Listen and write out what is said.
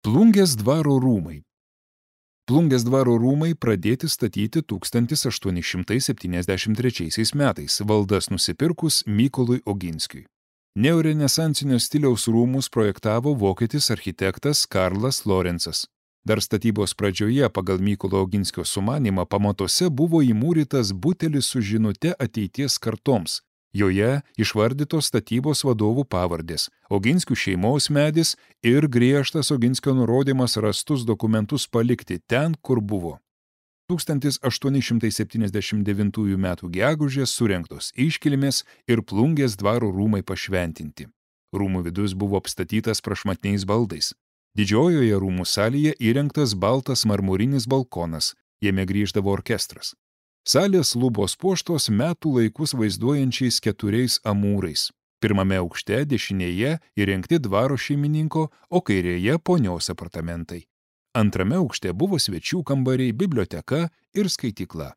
Plungės dvaro rūmai. Plungės dvaro rūmai pradėti statyti 1873 metais, valdas nusipirkus Mykolui Oginskiui. Neorenesansinio stiliaus rūmus projektavo vokietis architektas Karlas Lorencas. Dar statybos pradžioje pagal Mykolo Oginskio sumanymą pamatuose buvo įmūrytas butelis su žinute ateities kartoms. Joje išvardytos statybos vadovų pavardės, Oginskių šeimos medis ir griežtas Oginskio nurodymas rastus dokumentus palikti ten, kur buvo. 1879 m. gegužės surengtos iškilmės ir Plungės dvaro rūmai pašventinti. Rūmų vidus buvo apstatytas prašmatniais baldais. Didžiojoje rūmų salėje įrengtas baltas marmurinis balkonas, jame grįždavo orkestras. Salės lubos puoštos metų laikus vaizduojančiais 4 amūrais. Pirmame aukšte dešinėje įrengti dvaro šeimininko, o kairėje ponios apartamentai. Antrame aukšte buvo svečių kambariai, biblioteka ir skaitykla.